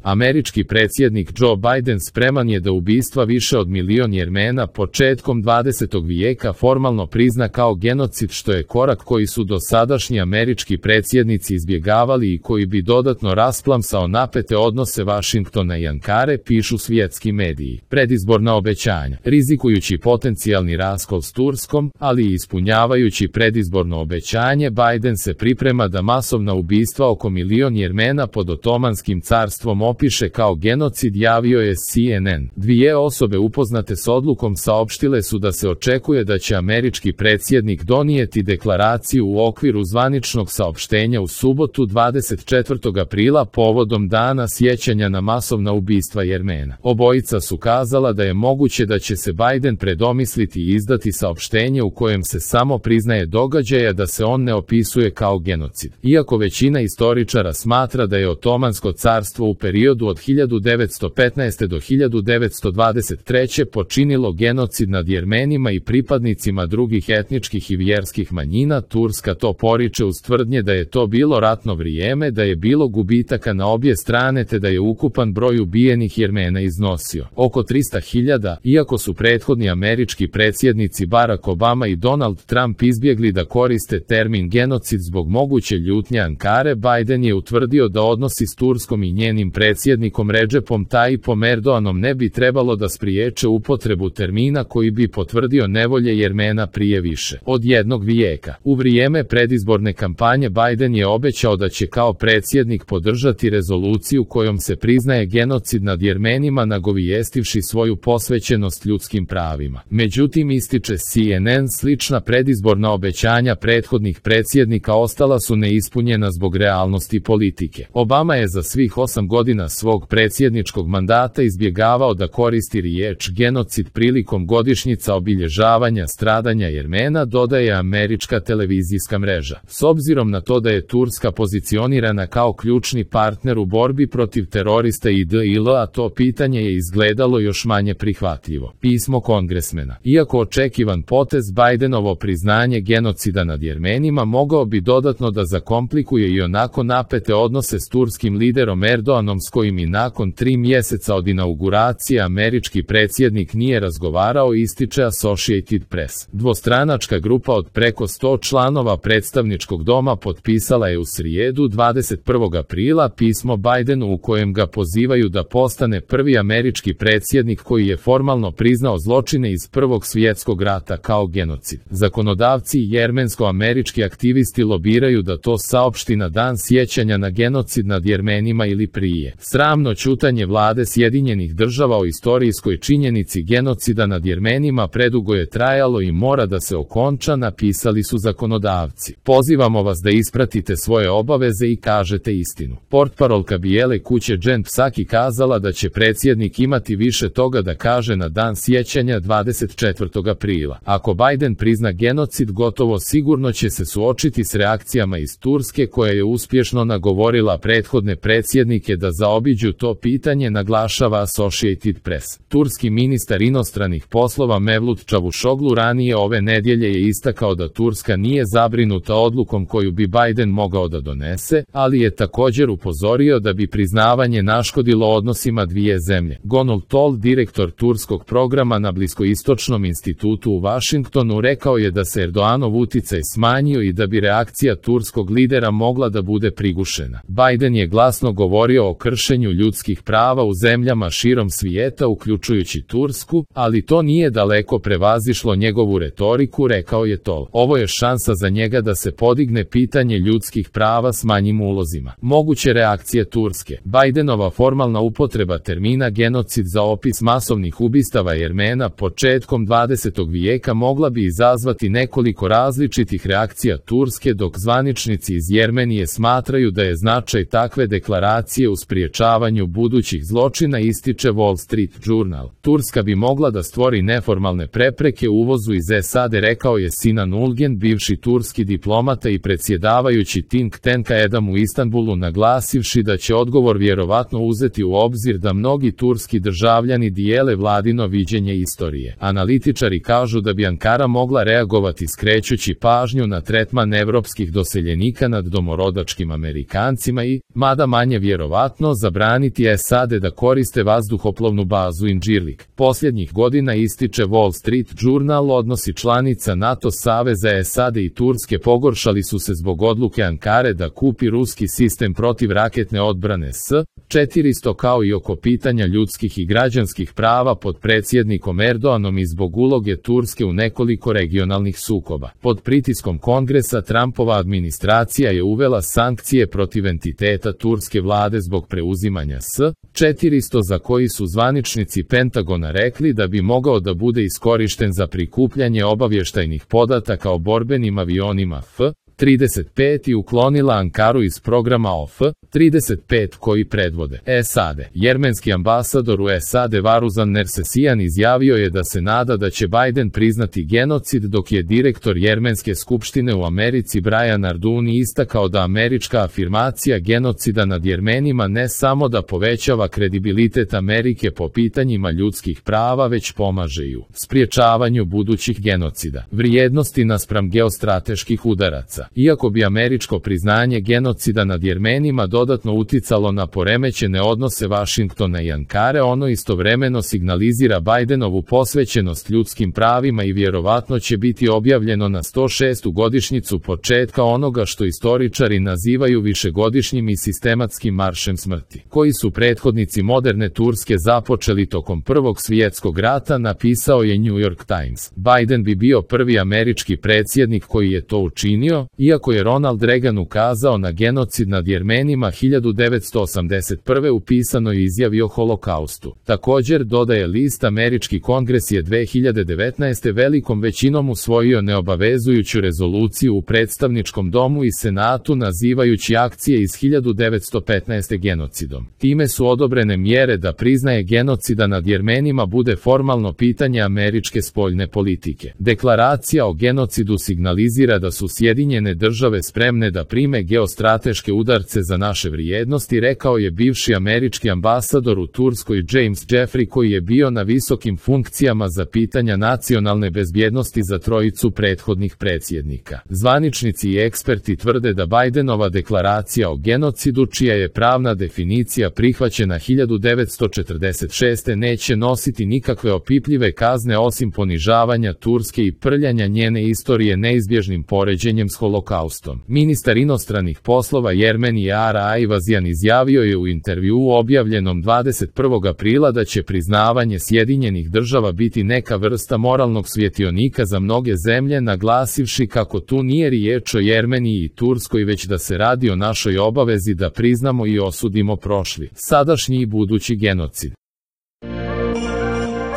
Američki predsjednik Joe Biden spreman je da ubistva više od milion Jermena početkom 20. vijeka formalno prizna kao genocid, što je korak koji su dosadašnji američki predsjednici izbjegavali i koji bi dodatno rasplamsao napete odnose Vašingtona i Ankare, pišu svjetski mediji. Predizborna obećanja. Rizikujući potencijalni raskol s Turskom, ali i ispunjavajući predizborno obećanje, Biden se priprema da masovna ubistva oko milion Jermena pod Otomanskim carstvom opiše kao genocid, javio je CNN. Dvije osobe upoznate s odlukom saopštile su da se očekuje da će američki predsjednik donijeti deklaraciju u okviru zvaničnog saopštenja u subotu 24. aprila povodom dana sjećanja na masovna ubistva Jermena. Obojica su kazala da je moguće da će se Biden predomisliti i izdati saopštenje u kojem se samo priznaje događaja, da se on ne opisuje kao genocid. Iako većina istoričara smatra da je Otomansko carstvo u periodu od 1915. do 1923. počinilo genocid nad Jermenima i pripadnicima drugih etničkih i vjerskih manjina, Turska to poriče uz tvrdnje da je to bilo ratno vrijeme, da je bilo gubitaka na obje strane te da je ukupan broj ubijenih Jermena iznosio oko 300.000. Iako su prethodni američki predsjednici Barack Obama i Donald Trump izbjegli da koriste termin genocid zbog moguće ljutnje Ankare, Biden je utvrdio da odnosi s Turskom i njenim predsjednikom Recepom Tayyipom Erdoganom ne bi trebalo da spriječe upotrebu termina koji bi potvrdio nevolje Jermena prije više od jednog vijeka. U vrijeme predizborne kampanje Biden je obećao da će kao predsjednik podržati rezoluciju kojom se priznaje genocid nad Jermenima, nagovijestivši svoju posvećenost ljudskim pravima. Međutim, ističe CNN, slična predizborna obećanja prethodnih predsjednika ostala su neispunjena zbog realnosti politike. Obama je za svih 8 godina svog predsjedničkog mandata izbjegavao da koristi riječ genocid prilikom godišnjica obilježavanja stradanja Jermena, dodaje američka televizijska mreža. S obzirom na to da je Turska pozicionirana kao ključni partner u borbi protiv terorista IDIL-a, to pitanje je izgledalo još manje prihvatljivo. Pismo kongresmena. Iako očekivan potez, Bidenovo priznanje genocida nad Jermenima mogao bi dodatno da zakomplikuje i onako napete odnose s turskim liderom Erdoganom, s kojim i nakon 3 mjeseca od inauguracije američki predsjednik nije razgovarao, ističe Associated Press. Dvostranačka grupa od preko 100 članova predstavničkog doma potpisala je u srijedu 21. aprila pismo Bidenu u kojem ga pozivaju da postane prvi američki predsjednik koji je formalno priznao zločine iz Prvog svjetskog rata kao genocid. Zakonodavci i jermensko-američki aktivisti lobiraju da to saopšti na dan sjećanja na genocid nad Jermenima ili prije. Sramno ćutanje vlade Sjedinjenih Država o istorijskoj činjenici genocida nad Jermenima predugo je trajalo i mora da se okonča, napisali su zakonodavci. Pozivamo vas da ispratite svoje obaveze i kažete istinu. Portparolka Bijele kuće Jen Psaki kazala da će predsjednik imati više toga da kaže na dan sjećanja 24. aprila. Ako Biden prizna genocid, gotovo sigurno će se suočiti s reakcijama iz Turske, koja je uspješno nagovorila prethodne predsjednike da zaobiđu to pitanje, naglašava Associated Press. Turski ministar inostranih poslova Mevlut Čavuşoglu ranije ove nedjelje je istakao da Turska nije zabrinuta odlukom koju bi Biden mogao da donese, ali je također upozorio da bi priznavanje naškodilo odnosima dvije zemlje. Gonul Tol, direktor turskog programa na Bliskoistočnom institutu u Vašingtonu, rekao je da se Erdoganov uticaj smanjio i da bi reakcija turskog lidera mogla da bude prigušena. Biden je glasno govorio o kršenju ljudskih prava u zemljama širom svijeta, uključujući Tursku, ali to nije daleko prevazišlo njegovu retoriku, rekao je Tol. Ovo je šansa za njega da se podigne pitanje ljudskih prava s manjim ulozima. Moguće reakcije Turske. Bidenova formalna upotreba termina genocid za opis masovnih ubistava Jermena početkom 20. vijeka mogla bi izazvati nekoliko različitih reakcija Turske, dok zvaničnici iz Jermenije smatraju da je značaj takve deklaracije u spriječavanju budućih zločina, ističe Wall Street Journal. Turska bi mogla da stvori neformalne prepreke uvozu iz SAD, rekao je Sinan Ulgen, bivši turski diplomata i predsjedavajući think tanka Edam u Istanbulu, naglasivši da će odgovor vjerovatno uzeti u obzir da mnogi turski državljani dijele vladino viđenje istorije. Analitičari kažu da bi Ankara mogla reagovati skrećući pažnju na tretman evropskih doseljenika nad domorodačkim Amerikancima i, mada manje vjerovatno, naredbeno zabraniti SAD da koriste vazduhoplovnu bazu Incirlik. Posljednjih godina, ističe Wall Street Journal, odnosi članica NATO saveza SAD i Turske pogoršali su se zbog odluke Ankare da kupi ruski sistem protivraketne odbrane S-400, kao i oko pitanja ljudskih i građanskih prava pod predsjednikom Erdoganom i zbog uloge Turske u nekoliko regionalnih sukoba. Pod pritiskom Kongresa, Trumpova administracija je uvela sankcije protiv entiteta turske vlade zbog preuzimanja S-400, za koji su zvaničnici Pentagona rekli da bi mogao da bude iskorišten za prikupljanje obavještajnih podataka o borbenim avionima F-35 i uklonila Ankaru iz programa OF-35 koji predvode SAD. Jermenski ambasador u SAD Varuzan Nersesian izjavio je da se nada da će Biden priznati genocid, dok je direktor Jermenske skupštine u Americi Brian Arduni istakao da američka afirmacija genocida nad Jermenima ne samo da povećava kredibilitet Amerike po pitanjima ljudskih prava, već pomaže i u spriječavanju budućih genocida vrijednosti naspram geostrateških udaraca. Iako bi američko priznanje genocida nad Jermenima dodatno uticalo na poremećene odnose Vašingtona i Ankare, ono istovremeno signalizira Bidenovu posvećenost ljudskim pravima i vjerovatno će biti objavljeno na 106. godišnjicu početka onoga što istoričari nazivaju višegodišnjim i sistematskim maršem smrti, koji su prethodnici moderne Turske započeli tokom Prvog svjetskog rata, napisao je New York Times. Biden bi bio prvi američki predsjednik koji je to učinio, iako je Ronald Reagan ukazao na genocid nad Jermenima 1981. u pisanoj izjavi o holokaustu. Također, dodaje list, američki kongres je 2019. velikom većinom usvojio neobavezujuću rezoluciju u predstavničkom domu i senatu nazivajući akcije iz 1915. genocidom. Time su odobrene mjere da priznaje genocida nad Jermenima bude formalno pitanje američke spoljne politike. Deklaracija o genocidu signalizira da su Sjedinjene države spremne da prime geostrateške udarce za naše vrijednosti, rekao je bivši američki ambasador u Turskoj James Jeffrey, koji je bio na visokim funkcijama za pitanja nacionalne bezbjednosti za trojicu prethodnih predsjednika. Zvaničnici i eksperti tvrde da Bidenova deklaracija o genocidu, čija je pravna definicija prihvaćena 1946. neće nositi nikakve opipljive kazne osim ponižavanja Turske i prljanja njene istorije neizbježnim poređenjem s holokaustom. Ministar inostranih poslova Jermenije Ara Ayvazian izjavio je u intervjuu objavljenom 21. aprila da će priznavanje Sjedinjenih država biti neka vrsta moralnog svjetionika za mnoge zemlje, naglasivši kako tu nije riječ o Jermeniji i Turskoj, već da se radi o našoj obavezi da priznamo i osudimo prošli, sadašnji i budući genocid.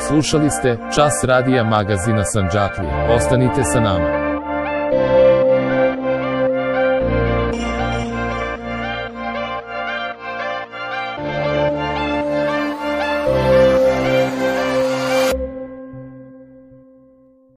Slušali ste Čas radija magazina Sandžaklija. Ostanite sa nama.